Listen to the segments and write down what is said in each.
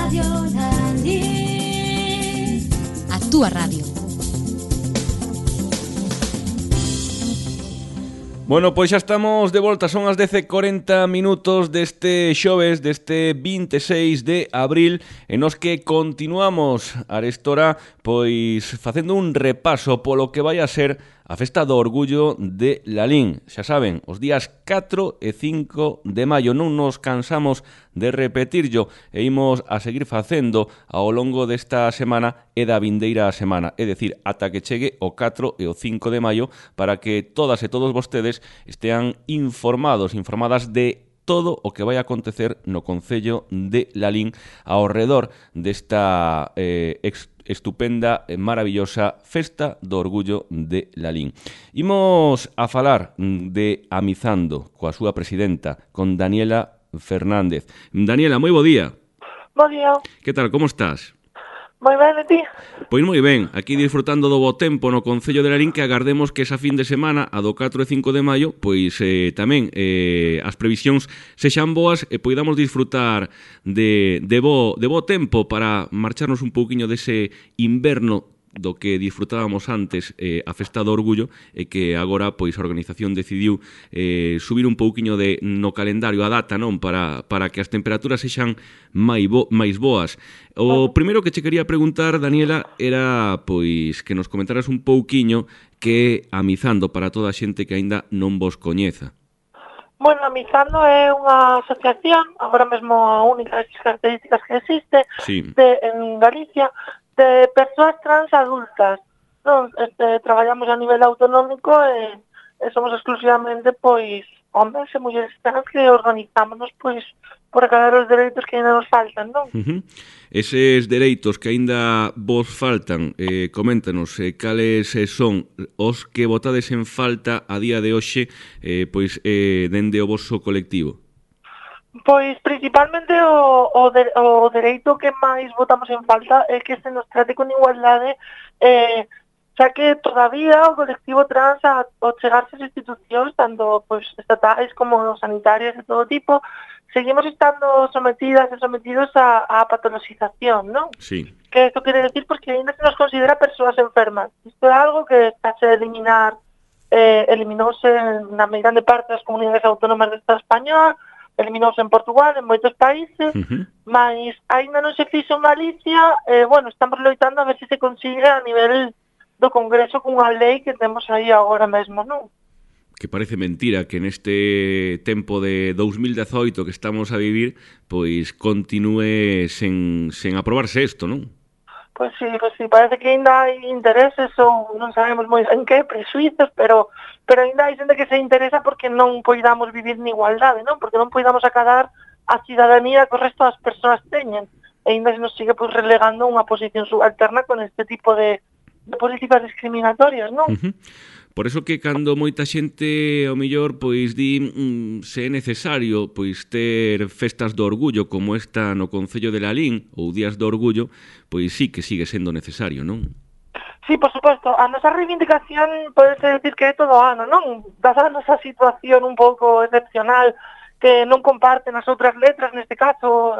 Radio Lalín. A túa radio. Bueno, pois xa estamos de volta, son as 10:40 deste xoves, deste 26 de abril, en os que continuamos arestora, pois facendo un repaso polo que vai a ser a Festa do Orgullo de Lalín. Xa saben, os días 4 e 5 de maio, non nos cansamos de repetirlo e imos a seguir facendo ao longo desta semana e da vindeira semana, é dicir, ata que chegue o 4 e o 5 de maio, para que todas e todos vostedes estean informadas de todo o que vai acontecer no Concello de Lalín ao redor desta estupenda e maravillosa Festa do Orgullo de Lalín. Imos a falar de Amizando coa súa presidenta, con Daniela Fernández. Daniela, moi bo día. Bo día. Que tal, como estás? Moi ben, e ti? Pois moi ben, aquí disfrutando do bo tempo no Concello de Lalín, que agardemos que esa fin de semana, a do 4 e 5 de maio, pois tamén as previsións sexan boas e poidamos disfrutar de bo tempo para marcharnos un pouquiño dese inverno do que disfrutábamos antes a Festa do Orgullo, e que agora pois a organización decidiu subir un pouquiño no calendario a data, non, para que as temperaturas sexan máis boas. O primeiro que che quería preguntar, Daniela, era pois que nos comentaras un pouquiño que é Amizando para toda a xente que aínda non vos coñeza. Bueno, Amizando é unha asociación, agora mesmo a única das características que existe Sí. En Galicia, de persoas trans adultas. Non, traballamos a nivel autonómico e somos exclusivamente pois hombres e mulleres trans que organizámonos pois por acadar os dereitos que ainda nos faltan, non? Eses dereitos que aínda vos faltan, coméntanos cales son os que botades en falta a día de hoxe pois dende o voso colectivo. Pois principalmente o dereito que máis votamos en falta é que se nos trate con igualdade, xa que todavía o colectivo trans ao chegarse as institucións, tanto pois estatais como sanitarias de todo tipo, seguimos estando sometidas e sometidos a patologización, non? Sí. Que isto quere decir porque ainda se nos considera persoas enfermas. Isto é algo que está a eliminar, eliminouse na grande parte das comunidades autónomas do Estado español, eliminouse en Portugal, en moitos países, mas aínda non se fixo en Galicia, bueno, estamos loitando a ver se consigue a nivel do Congreso cunha lei que temos aí agora mesmo, non? Que parece mentira que neste tempo de 2018 que estamos a vivir, pois continúe sen aprobarse isto, non? Pois sí, parece que ainda hai intereses ou non sabemos moi en que, presuizos, pero ainda hai xente que se interesa porque non poidamos vivir en igualdade, non? Porque non poidamos acadar a cidadanía que o resto das persoas teñen. E ainda se nos sigue pois relegando unha posición subalterna con este tipo de políticas discriminatorias, non? Por eso que cando moita xente ao mellor pois di se é necesario pois ter festas do orgullo como esta no Concello de Lalín ou días do orgullo, pois sí que sigue sendo necesario, non? Sí, por suposto, a nosa reivindicación pode decir que é todo ano, non? Dada a nosa situación un pouco excepcional que non comparten as outras letras, neste caso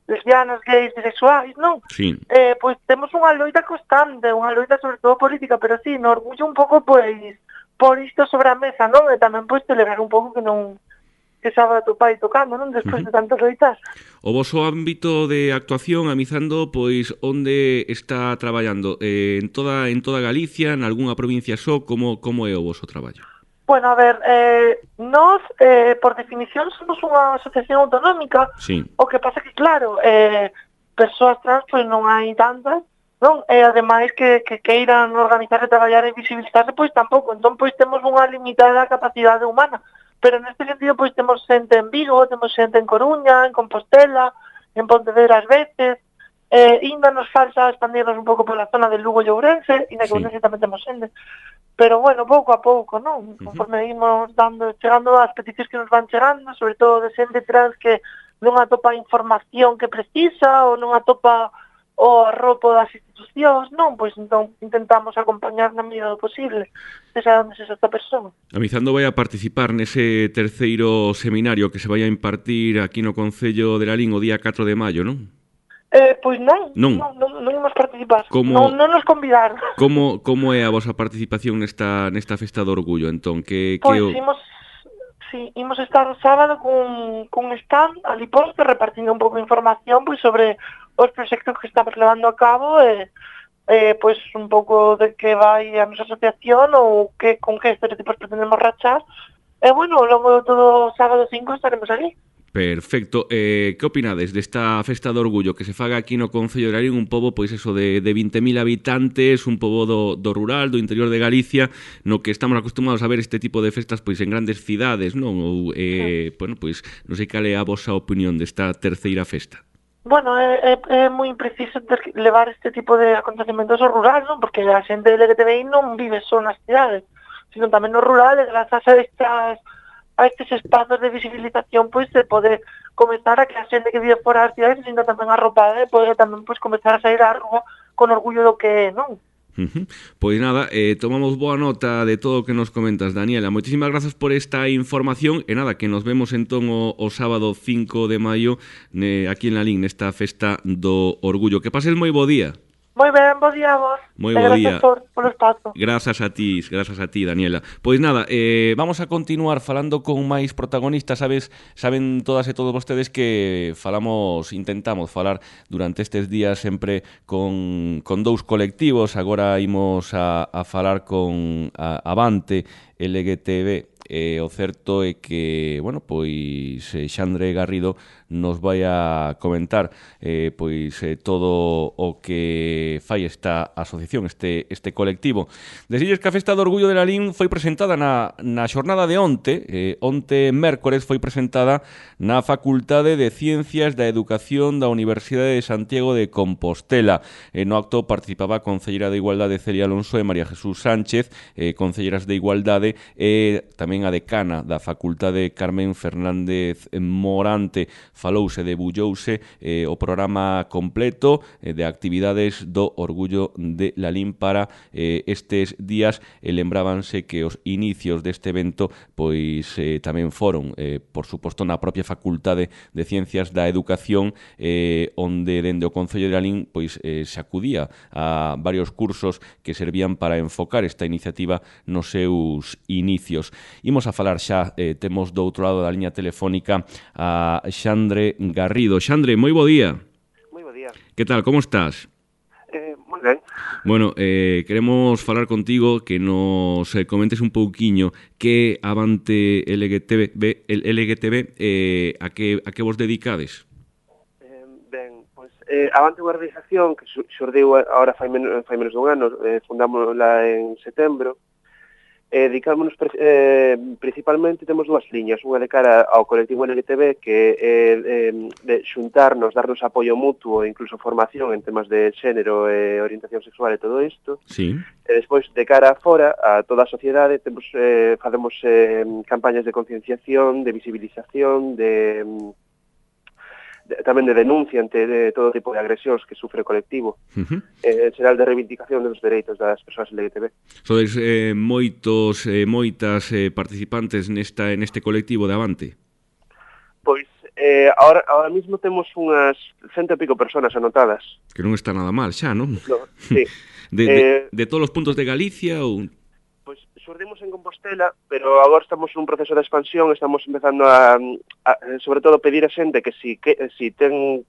lesbianas, gays, bisexuais, non? Sí. Pois temos unha loita constante, unha loita sobre todo política, pero sí, no orgullo un pouco, pois, por isto sobre a mesa, non? E tamén, pois, celebrar un pouco que non que sábado tu pai tocando, non? Despois de tantas loitas. O voso ámbito de actuación, Amizando, pois, onde está traballando? En toda Galicia, en algunha provincia só? Como é o voso traballo? Bueno, a ver, nós, por definición, somos unha asociación autonómica. Sí. O que pasa que, claro, persoas trans, pois non hai tantas, non? E, ademais, que queiran organizar e traballar e visibilizarse, pois tampouco. Entón, pois, temos unha limitada capacidade humana. Pero, neste sentido, pois, temos xente en Vigo, temos xente en Coruña, en Compostela, en Pontevedra ás veces, ainda nos falta expandirnos un pouco pola zona de Lugo e Ourense, e na que Ourense tamén temos xente. Pero, bueno, pouco a pouco, non? Conforme imos chegando as peticións que nos van chegando, sobre todo de xente trans que non atopa a información que precisa ou non atopa o arropo das institucións, non? Pois entón intentamos acompañar na medida do posible, sexa onde sexa esta persoa. Amizando vai a participar nese terceiro seminario que se vai a impartir aquí no Concello de Lalín o día 4 de maio, non? Pois non, Non. non imos participar. Como- Non nos convidaron. Como é a vosa participación nesta festa do orgullo? Entón, Pois imos estar o sábado cun stand ali posto repartindo un pouco de información pois sobre os proxectos que estamos levando a cabo pois un pouco de que vai a nosa asociación ou con que estereotipos pretendemos rachar. E bueno, logo todo o sábado 5 estaremos ali. Perfecto. Que opinades desta festa do orgullo que se faga aquí no Concello de Lalín, un pobo, pois eso, de 20.000 habitantes, un pobo do rural, do interior de Galicia, no que estamos acostumados a ver este tipo de festas pois en grandes cidades, non? Ou, bueno, pois, non sei cal é a vosa opinión desta terceira festa. Bueno, é moi impreciso levar este tipo de acontecementos ao rural, non? Porque a xente LGTBI non vive só nas cidades, sino tamén no rural, e grazas a estes espazos de visibilización, pois se pode comezar a que a xente que vive fora das cidades se sinta tamén arropada e pode tamén pois comezar a sair á rúa con orgullo do que é, non? Pois nada, tomamos boa nota de todo o que nos comentas, Daniela. Moitísimas grazas por esta información e nada, que nos vemos entón o sábado 5 de maio aquí en Lalín, nesta festa do orgullo. Que pases moi bo día. Moi ben, bo día a vos. Moi bo día. Gracias polo espazo. Grazas a ti, Daniela. Pois nada, vamos a continuar falando con máis protagonistas, saben todas e todos vostedes que intentamos falar durante estes días sempre con dous colectivos. Agora imos a falar con Avante LGTB. O certo é que, bueno, pois Xandre Garrido nos vai a comentar todo o que fai esta asociación, este colectivo. Desilles que a Festa do Orgullo de Lalín foi presentada na xornada de onte mércores foi presentada na Facultade de Ciencias da Educación da Universidade de Santiago de Compostela. No acto participaba a concelleira de Igualdade Celia Alonso e María Jesús Sánchez, concelleiras de Igualdade, e tamén a decana da Facultade Carmen Fernández Morante. Falouse, debullouse o programa completo de actividades do Orgullo de Lalín para estes días, e lembrábanse que os inicios deste evento pois tamén foron, por suposto, na propia Facultade de Ciencias da Educación, onde dende o Concello de Lalín pois se acudía a varios cursos que servían para enfocar esta iniciativa nos seus inicios. Imos a falar xa, temos do outro lado da liña telefónica a Xandre Garrido. Xandre, moi bo día. Moi bo día. Que tal, como estás? Moi ben. Bueno, queremos falar contigo, que nos comentes un pouquiño que Avante LGTB a que vos dedicades? Ben, pois Avante unha organización que xurdiu agora fai menos dun ano, fundámosla en setembro. Dedicámonos principalmente, temos dúas liñas, unha de cara ao colectivo LGTB, que é de xuntarnos, darnos apoio mutuo e incluso formación en temas de xénero e orientación sexual e todo isto. Sí. E despois, de cara fora, a toda a sociedade, facemos campañas de concienciación, de visibilización, tamén de denuncia ante todo tipo de agresións que sufre o colectivo, en xeral de reivindicación dos dereitos das persoas LGTB. Sodes moitas participantes neste colectivo de Avante? Pois, ahora mismo temos unhas 100 e pico personas anotadas. Que non está nada mal xa, non? No, sí. De todos os puntos de Galicia ou... Pois xurdimos en Compostela, pero agora estamos nun proceso de expansión, estamos empezando a sobre todo pedir a xente que si ten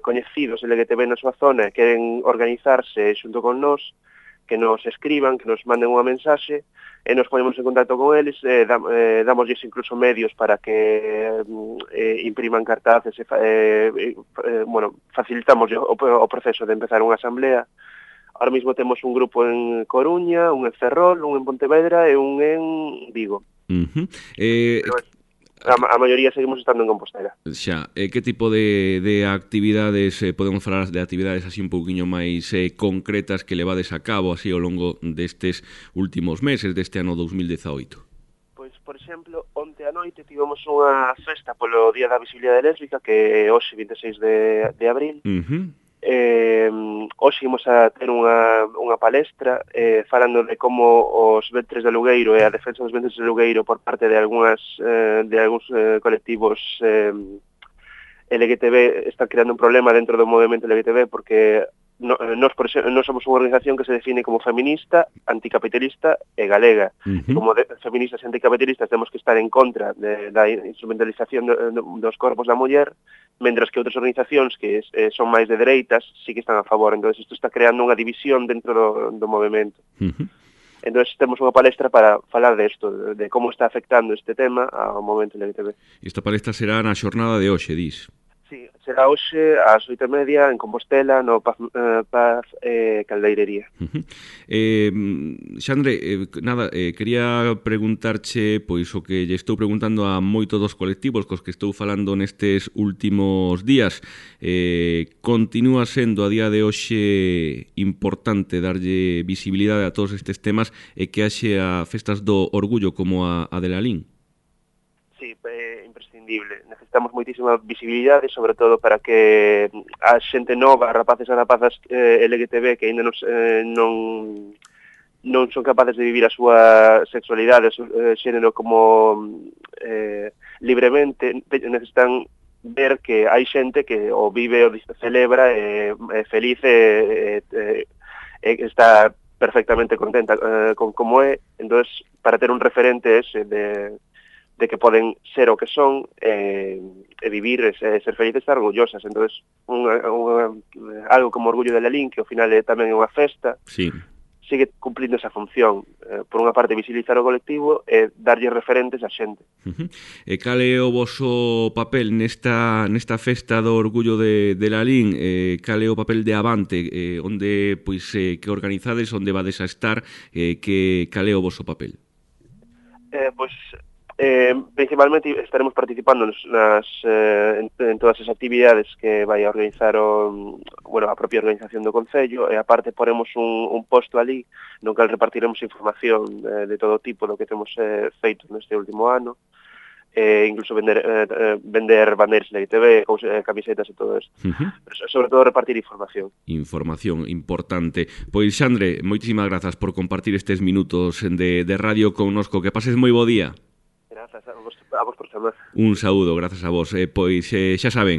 coñecidos LGTB na súa zona e queren organizarse xunto con nós, que nos escriban, que nos manden unha mensaxe e nos ponemos en contacto con eles, damosles incluso medios para que impriman cartaces, facilitamos o proceso de empezar unha asamblea. Ahora mismo temos un grupo en Coruña, un en Ferrol, un en Pontevedra e un en Vigo. Pero a maioría seguimos estando en Compostela. Xa, que tipo de actividades, podemos falar de actividades así un pouquiño máis concretas que levades a cabo así ao longo destes últimos meses, deste ano 2018? Pois, por exemplo, onte a noite tivemos unha festa polo Día da Visibilidade Lésbica, que é hoxe 26 de abril. Hoxe imos a ter unha palestra falando de como os ventres de alugueiro e a defensa dos ventres de alugueiro por parte de algúns colectivos LGTB está creando un problema dentro do movimento LGTB porque nós somos unha organización que se define como feminista, anticapitalista e galega. Como feministas e anticapitalistas temos que estar en contra da instrumentalización dos corpos da muller, mentras que outras organizacións que son máis de dereitas sí que están a favor. Entón, isto está creando unha división dentro do movimento. Entón, temos unha palestra para falar desto, de como está afectando este tema ao movimento LGTB. Esta palestra será na xornada de hoxe, dis? Sí, será hoxe ás 8:30 en Compostela, no Paz Caldeirería. Xandre, quería preguntarche pois o que lle estou preguntando a moitos dos colectivos cos que estou falando nestes últimos días. Continúa sendo a día de hoxe importante darlle visibilidade a todos estes temas e que haxe a festas do orgullo como a de Lalín? Sí, imprescindible. Necesitamos moitísima visibilidade, sobre todo para que a xente nova, rapaces e rapazas LGTB que ainda non son capaces de vivir a súa sexualidade, xénero como libremente, necesitan ver que hai xente que o vive, o celebra, é feliz e está perfectamente contenta con como é. Entón, para ter un referente ese de que poden ser o que son e vivir, ser felices e estar orgullosas. Entón, algo como Orgullo de Lalín, que ao final é tamén unha festa, sí, sigue cumplindo esa función. Por unha parte, visibilizar o colectivo e darlle referentes a xente. E cal é o voso papel nesta festa do Orgullo de Lalín? Cal é o papel de Avante? Onde, pois, que organizades, onde vades a estar? Cal é o voso papel? Principalmente estaremos participando en todas as actividades que vai a organizar a propia organización do Concello, e aparte poremos un posto ali no cal repartiremos información de todo tipo do que temos feito neste último ano, incluso vender bandeiras LGTB, camisetas e todo isto. Sobre todo repartir información. Información importante. Pois, Xandre, moitísimas grazas por compartir estes minutos de radio connosco. Que pases moi bo día. Grazas a vos por chamar. Un saúdo, grazas a vos. Pois xa saben,